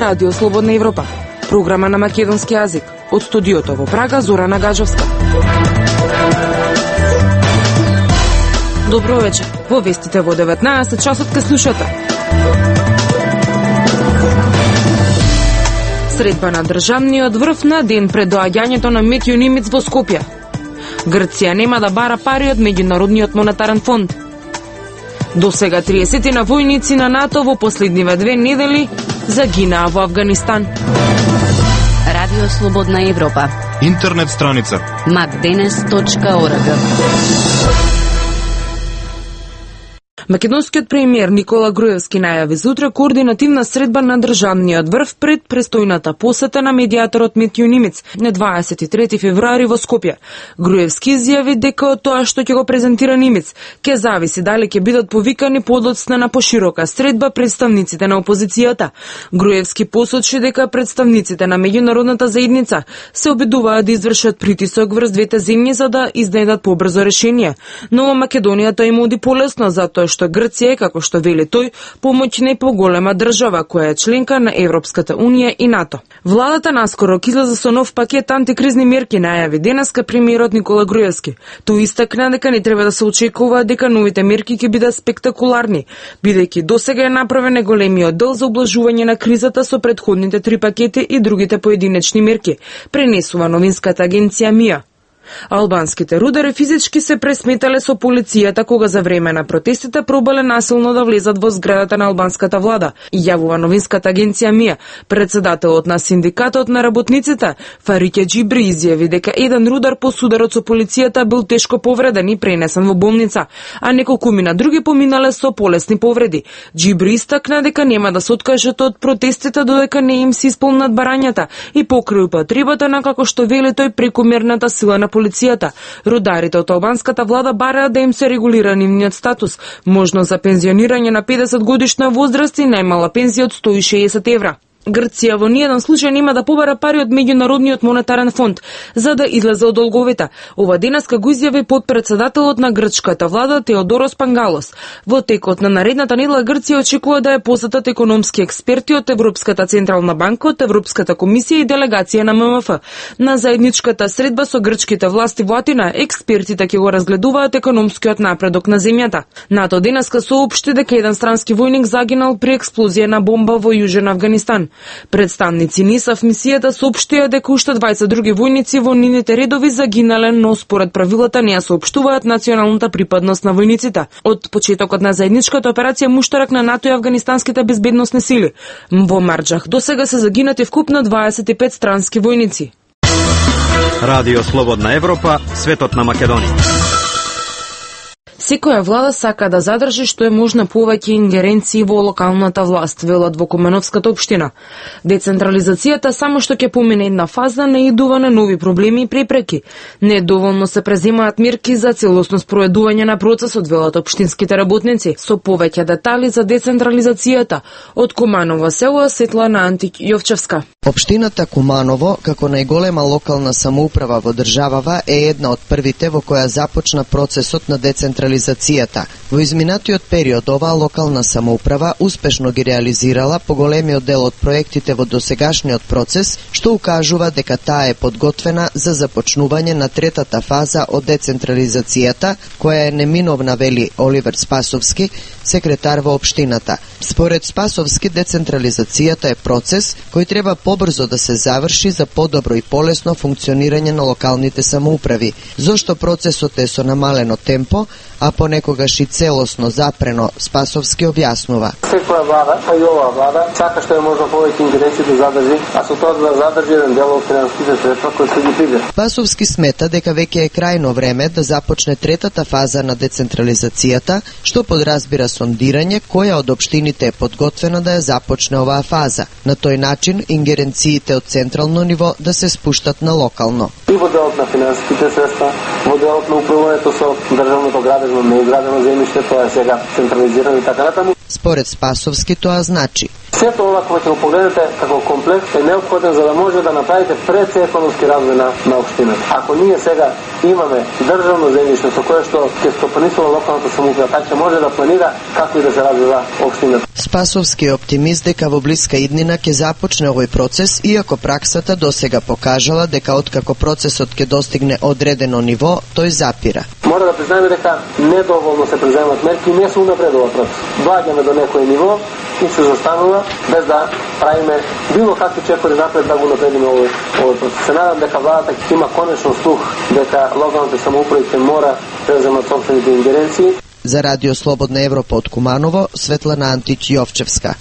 Радио Слободна Европа, програма на македонски јазик. Од студиото во Прага, Зорана Гаджовска. Добро вечер. Во вестите во 19 часот ке слушате. Средба на државниот врв на ден пред доаѓањето на Метјо Нимиц во Скопје. Грција нема да бара пари од Меѓународниот монетарен фонд. До сега 30 на војници на НАТО во последниве 2 недели загинаа во Авганистан. Радио Слободна Европа. Интернет страница macdenes.org. Македонскиот премиер Никола Груевски најави зутре координативна средба на државниот врв пред престојната посета на медијаторот Метјо Нимиц на 23 февруари во Скопје. Груевски изјави дека од тоа што ќе го презентира Нимиц ќе зависи дали ќе бидат повикани подоцна на поширока средба представниците на опозицијата. Груевски посочи дека представниците на меѓународната заедница се обидуваат да извршат притисок врз двете земји за да изнедат побрзо решение, но во Македонија тоа им оди полесно затоа што Грција е, како што вели тој, помоќна и поголема држава која е членка на Европската унија и НАТО. Владата наскоро излезе со нов пакет антикризни мерки, најави денеска премиерот Никола Груевски. Тој истакна дека не треба да се очекува дека новите мерки ќе бидат спектакуларни, бидејќи досега е направен големиот дел за облажување на кризата со претходните 3 пакети и другите поединечни мерки, пренесува новинската агенција МИА. Албанските рудари физички се пресметале со полицијата кога за време на протестите пробале насилно да влезат во зградата на албанската влада, јавува новинската агенција МИА. Председателот на синдикатот на работниците Фарике Джибри изјави дека еден рудар по сударот со полицијата бил тешко повреден и пренесен во болница, а неколкумина други поминале со полесни повреди. Джибри истакна дека нема да се откажат од протестите додека не им се исполнат барањата и покрај употребата на, како што вели тој, прекомерната сила на полицијата. Рударите од албанската влада бараат да им се регулира нивниот статус, можно за пензионирање на 50 годишна возраст и најмала пензија од 160 евра. Грција во ниеден случај нема да побара пари од Меѓународниот монетарен фонд за да излезе од долговите. Ова денеска го изјави подпредседателот на грчката влада Теодорос Пангалос. Во текот на наредната недела Грција очекува да ја посетат економски експерти од Европската централна банка, од Европската комисија и делегација на ММФ. На заедничката средба со грчките власти во Атина, експертите ќе го разгледуваат економскиот напредок на земјата. НАТО денеска соопшти дека еден странски војник загинал при експлозија на бомба во Јужен Авганистан. Представници НИСА в мисијата соопштија дека уште 20 други војници во нивните редови загинале, но според правилата не ја соопштуваат националната припадност на војниците. Од почетокот на заедничката операција Муштарак на НАТО и афганистанските безбедносни сили во Марџах досега се загинати вкупно 25 странски војници. Радио Слободна Европа, светот на Македонија. Секоја влада сака да задржи што е можна повеќе ингеренции во локалната власт, велат во Куменовската општина. Децентрализацијата само што ќе помине една фаза наидува на нови проблеми и препреки. Недоволно се преземаат мерки за целосно спроведување на процесот, велат општинските работници. Со повеќе детали за децентрализацијата од Куманово село Светлана Антик Јовчевска. Општината Куманово, како најголема локална самоуправа во државава, е една од првите во која започна процесот на децентрализацијата. Во изминатиот период оваа локална самоуправа успешно ги реализирала поголемиот дел од проектите во досегашниот процес, што укажува дека таа е подготвена за започнување на третата фаза од децентрализацијата, која е неминовна, вели Оливер Спасовски, секретар во општината. Според Спасовски, децентрализацијата е процес кој треба побрзо да се заврши за подобро и полесно функционирање на локалните самоуправи, зошто процесот е со намалено темпо, а понекогаш и целосно запрено, Спасовски објаснува. Секоја влада, па и оваа влада, сака што е можно повеќе ингеренции да задржи, а со тоа да задржи еден дел од финансиските средства кои се ги приде. Спасовски смета дека веќе е крајно време да започне третата фаза на децентрализацијата, што подразбира сондирање која од општините е подготвена да ја започне оваа фаза. На тој начин ингеренциите од централно ниво да се спуштат на локално. И во делот на финансиските средства, во делот на управувањето со државното градено, неизградено земјиште, тоа е сега централизирано и така натаму. Според Спасовски тоа значи Сето ова кога ќе го погледнете како комплекс е неопходен за да може да направите пред економски развој на општината. Ако ние сега имаме државно земјиште со кое што ќе стопанисува локалната самоуправа, така ќе може да планира како и да се развива општината. Спасовски е оптимист дека во блиска иднина ќе започне овој процес, иако праксата досега покажала дека откако процесот ќе достигне одредено ниво, тој запира. Мора да признаеме дека недоволно се преземат мерки и не се унапредува процес. Доаѓаме до некој ниво и се застанува без да правиме било какви чекори напред да го напредиме овој процес. Се надам дека владата ќе има конечно слух дека локалните самоуправи ќе мора да земат собствените ингеренции. За Радио Слободна Европа од Куманово, Светлана Антич-Јовчевска.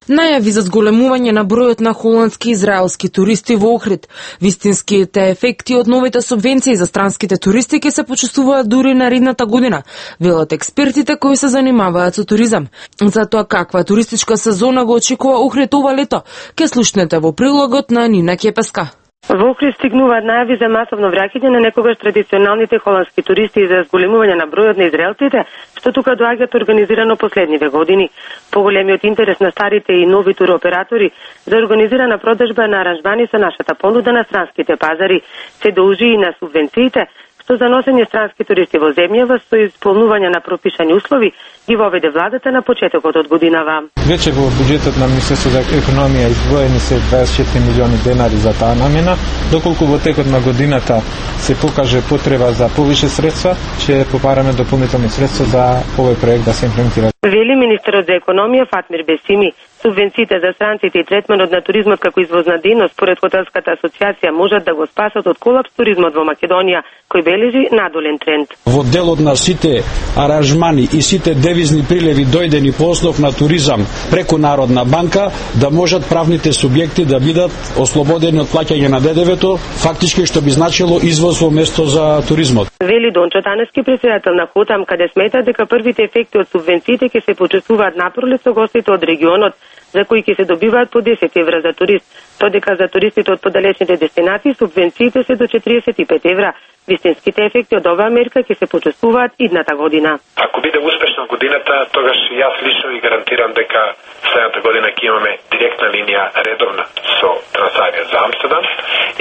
Најави за зголемување на бројот на холандски и израелски туристи во Охрид. Вистинските ефекти од новите субвенции за странските туристи ќе се почувствуваат дури наредната година, велат експертите кои се занимаваат со туризам. За тоа каква туристичка сезона го очекува Охрид ова лето, ќе слушнете во прилогот на Нина Кепеска. Во Охрид стигнуваат најави за масовно враќање на некогаш традиционалните холандски туристи и за зголемување на бројот на израелците, што тука доаѓаат организирано последниве години. Поголемиот интерес на старите и нови туроператори за организирана продажба на аранжмани со нашата понуда на странските пазари се должи и на субвенциите, што за носење странски туристи во земјава со исполнување на пропишани услови ги воведе владата на почетокот од годинава. Веќе во буџетот на Министерството за економија издвоени се 24 милиони денари за таа намена, доколку во текот на годината се покаже потреба за повише средства, ќе попараме дополнителни средства за овој проект да се имплементира. Вели министерот за економија Фатмир Бесими, субвенциите за странците и третманот на туризмот како извозна дејност според Хотелската асоциација можат да го спасат од колапс туризмот во Македонија, кој бележи надолен тренд. Во делот на сите аранжмани и сите девизни приливи дојдени по основ на туризам преку Народна банка, да можат правните субјекти да бидат ослободени од плаќање на ДДВ-то, фактички што би значило извоз во место за туризмот. Вели Дончо Танески, председател на Хотам, каде смета дека првите ефекти од субвенциите ќе се почувствуваат напролет со гостите од регионот, за кои ќе се добиваат по 10 евра за турист, додека за туристите од подалечните дестинации субвенциите се до 45 евра. Вистинските ефекти од оваа мерка ќе се почувствуваат идната година. Ако биде успешна годината, тогаш јас лично ви гарантирам дека следната година ќе имаме директна линија редовна со Трансавија за Амстердам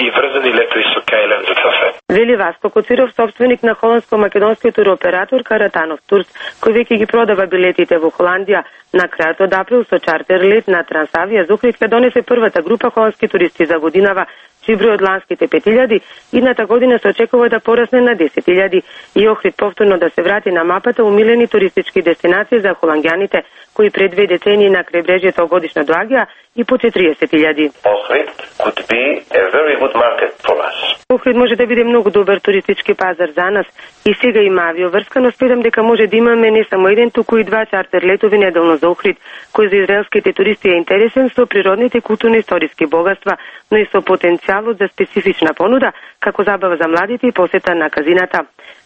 и врзани летови со Кајлен за Цафе. Вели Васко Коциров, собственик на холандско-македонскиот туроператор Каратанов Турс, кој веќе ги продава билетите во Холандија. На крајот од април со чартер лет на Трансавија за Охрид ќе донесе првата група холандски туристи за годинава, чиј број од ланските 5000 идната година се очекува да порасне на 10.000 и Охрид повторно да се врати на мапата умилени туристички дестинации за холанѓаните, кои пред 2 децении на крајбрежјето годишно доаѓа и по 40.000. Охрид could be a very good market for us. Охрид може да биде многу добар туристички пазар за нас и сега има авиоврска, но спедам дека може да имаме не само еден, туку и 2 чартер летови неделно за Охрид, кој за израелските туристи е интересен со природните културно-историски богатства, но и со потенцијалот за специфична понуда, како забава за младите и посета на казината.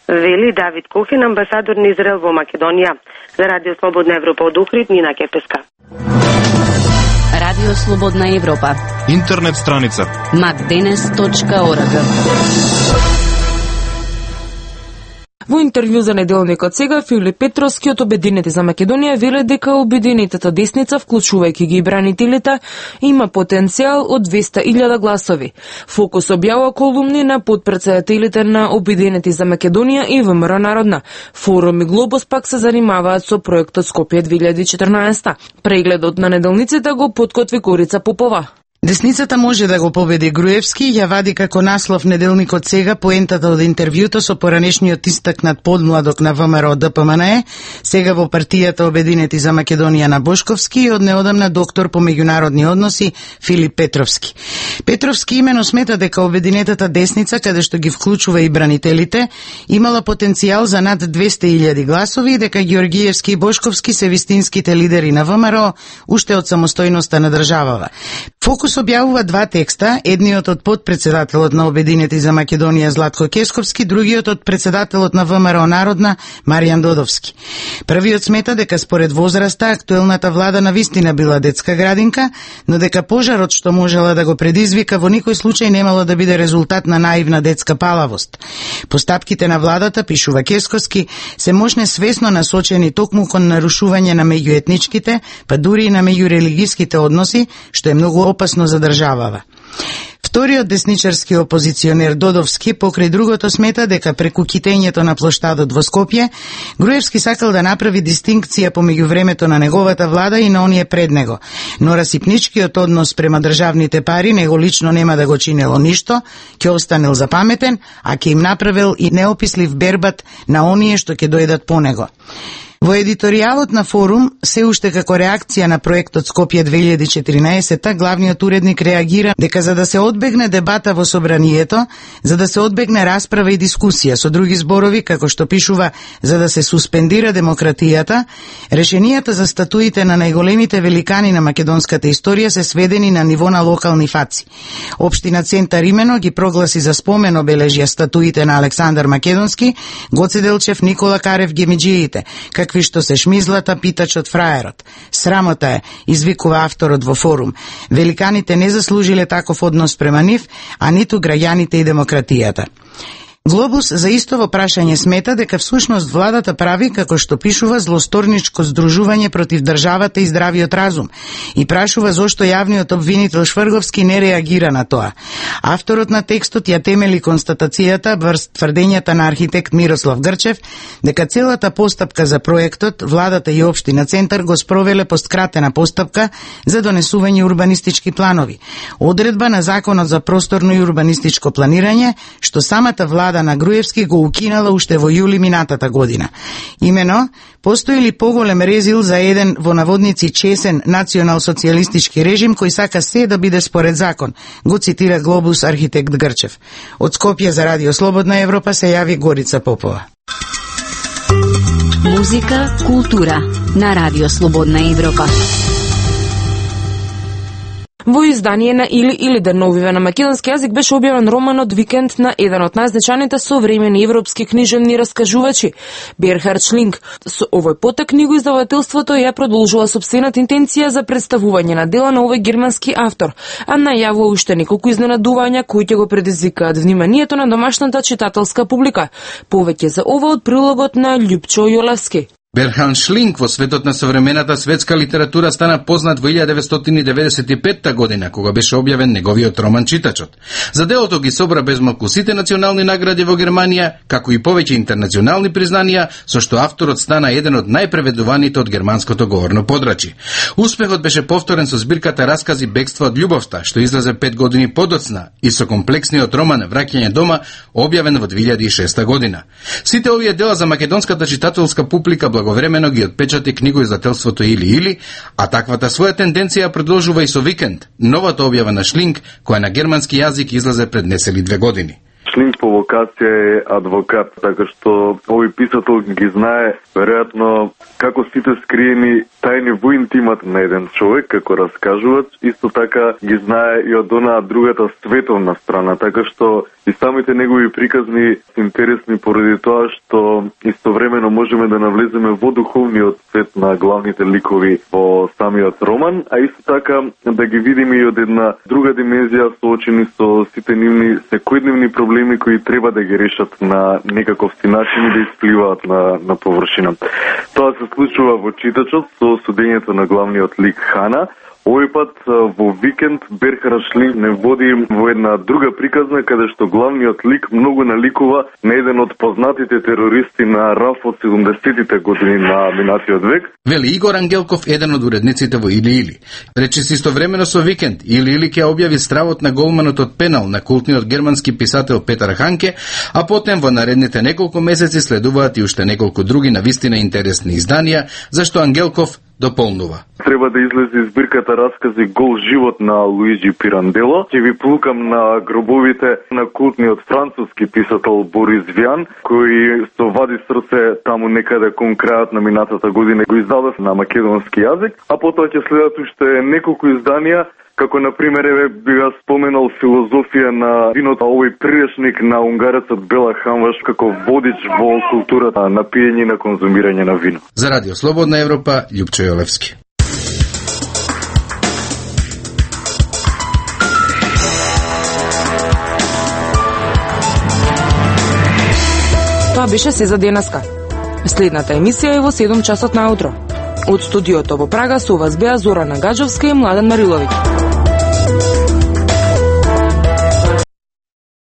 Вели Давид Кохен, амбасадор на Израел во Македонија. За Радио Слободна Европа од Охрид, Нина Кепеска. Радио Слободна Европа. Интернет страница macdenes.org. Во интервју за неделникот сега, Филип Петровски од Обединети за Македонија веле дека обединетата десница, вклучувајќи ги и бранителите, има потенцијал од 200.000 гласови. Фокус објава колумни на подпредседателите на Обединети за Македонија и ВМРО Народна. Форум и Глобус пак се занимаваат со проектот Скопје 2014. Прегледот на неделниците го подкотви Корица Попова. Десницата може да го победи Груевски, ја вади како наслов неделникот сега поентата од интервјуто со поранешниот истакнат подмладок на ВМРО ДПМНЕ, сега во партијата Обединети за Македонија на Бошковски и од неодамна доктор по меѓународни односи Филип Петровски. Петровски имено смета дека Обединетата десница, каде што ги вклучува и бранителите, имала потенцијал за над 200.000 гласови и дека Ѓоргиевски и Бошковски се вистинските лидери на ВМРО уште од самостојноста на државава. Фокус Глобус објавува два текста, едниот од подпредседателот на Обединети за Македонија Златко Кесковски, другиот од председателот на ВМРО Народна Маријан Додовски. Првиот смета дека според возраста актуелната влада навистина била детска градинка, но дека пожарот што можела да го предизвика во никој случај немало да биде резултат на наивна детска палавост. Постапките на владата, пишува Кесковски, се можне свесно насочени токму кон нарушување на меѓуетничките, па дури и на меѓурелигиските односи, што е многу опасно за државава. Вториот десничарски опозиционер Додовски покрај другото смета дека преку китењето на плоштадот во Скопје, Груевски сакал да направи дистинкција помеѓу времето на неговата влада и на оние пред него, но расипничкиот однос према државните пари него лично нема да го чинело ништо, ќе останел запаметен, а ќе им направил и неопислив бербат на оние што ќе дојдат по него. Во едиторијалот на Форум, се уште како реакција на проектот Скопје 2014, главниот уредник реагира дека за да се одбегне дебата во собранието, за да се одбегне расправа и дискусија, со други зборови, како што пишува, за да се суспендира демократијата, решенијата за статуите на најголемите великани на македонската историја се сведени на ниво на локални фаци. Општина Центар имено ги прогласи за спомен обележја статуите на Александар Македонски, Гоце Делчев, Никола Карев, Гемиџиите, какви што се шмизлата, питачот, фраерот. Срамота е, извикува авторот во Форум. Великаните не заслужиле таков однос према нив, а ниту граѓаните и демократијата. Глобус за истово прашање смета дека всушност владата прави, како што пишува, злосторничко здружување против државата и здравиот разум и прашува зошто јавниот обвинител Шврговски не реагира на тоа. Авторот на текстот ја темели констатацијата врз тврдењата на архитект Мирослав Грчев дека целата постапка за проектот владата и општина Центар го спровеле по скратена постапка за донесување урбанистички планови, одредба на Законот за просторно и урбанистичко планирање, што самата влада на Груевски го укинала уште во јули минатата година. Имено, постои ли поголем резил за еден во наводници чесен национал-социјалистички режим кој сака се да биде според закон, го цитира Глобус архитект Грчев. Од Скопје за Радио Слободна Европа се јави Горица Попова. Музика, култура на Радио Слободна Европа. Во издание на Или деновиве на македонски јазик беше објавен романот Викенд на еден од најзначајните современи европски книжевни раскажувачи, Берхард Шлинг. Со овој потек книгоиздавателството ја продолжува сопствената интенција за представување на дела на овој германски автор, а најавува уште неколку изненадувања кои ќе го предизвикаат вниманието на домашната читателска публика. Повеќе за ова од прилогот на Љупчо Јолевски. Берхард Шлинг во светот на современата светска литература стана познат во 1995 година, кога беше објавен неговиот роман Читачот. За делото ги собра безмалку сите национални награди во Германија, како и повеќе интернационални признанија, со што авторот стана еден од најпреведуваните од германското говорно подрачје. Успехот беше повторен со збирката Раскази Бегство од љубовта, што излезе 5 години подоцна, и со комплексниот роман Враќање дома, објавен во 2006 година. Сите овие дела за македонската читателска публика благовремено ги отпечати книгоиздателството Или, а таквата своја тенденција продолжува и со Викенд, новата објава на Шлинг, која на германски јазик излезе пред несели 2 години. Шлинг по вокација е адвокат, така што овој писател ги знае веројатно како сите скриени тајни во интимат на еден човек, како раскажувач, исто така ги знае и од онаа другата световна страна, така што и самите негови приказни се интересни поради тоа што истовремено можеме да навлеземе во духовниот свет на главните ликови во самиот роман, а исто така да ги видиме и од една друга димензија соочени со сите нивни секојдневни проблеми кои треба да ги решат на некаковти начин и да испливаат на површина. Тоа се случува во Читачот со судењето на главниот лик Хана. Овој пат во Викенд Берхард Шлинг не води во една друга приказна каде што главниот лик многу наликува на еден од познатите терористи на РАФ од 70-тите години на минатиот век. Вели Игор Ангелков, еден од уредниците во Или. Речиси истовремено со Викенд, Или ќе објави стравот на голманот од Пенал на култниот германски писател Петар Ханке, а потем во наредните неколку месеци следуваат и уште неколку други навистина интересни изданија, зашто Ангелков дополнува. Треба да излезе збирката Раскази Гол живот на Луиджи Пирандело. Ќе ви плукам на гробовите на култниот француски писател Борис Виан, кој со вади срце таму некаде кон крајот на минатата година го издадов на македонски јазик, а потоа ќе следат уште неколку изданија како на пример би го споменал филозофија на виното, овој приречник на унгарецот Бела Хамваш како водич во културата на пиење и на конзумирање на вино. За Радио Слободна Европа, Љупчо Јолевски. Тоа беше се за денеска. Следната емисија е во 7 часот наутро. Од студиото во Прага со вас беа Зорана Гаджовска и Младен Мариловиќ.